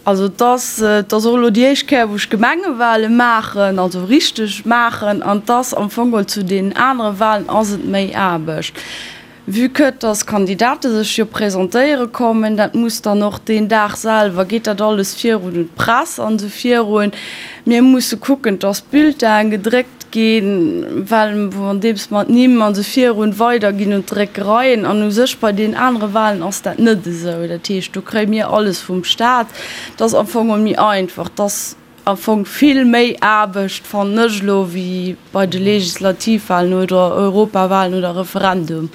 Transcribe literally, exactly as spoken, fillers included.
Also et ass, et ass och elo déi éischt Kéier, wou ech Gemengewale maachen, also richteg maachen, an et ass am Fong geholl zu deenen anere Walen ass et méi Aarbecht. Vue que dass Kandidate sech jo presentéiere kommen, dat muss dann och deen Dag selwer, geet dat alles virun un d'Press an esou virun. Mir musse kucken, dass d'Bulletinen gedréckt ginn, well andeems mer d'Nimm an esou virun weiderginn un d'Dréckereien. An u sech bei deenen anere Walen ass dat net esou. Dat heescht, do kréie mir alles vum Staat. Dat ass am Fong méi einfach. Dat ass am Fong vill méi Aarbecht, fannen ech elo, wéi bei de Legislativwalen oder Europawalen oder Referendum.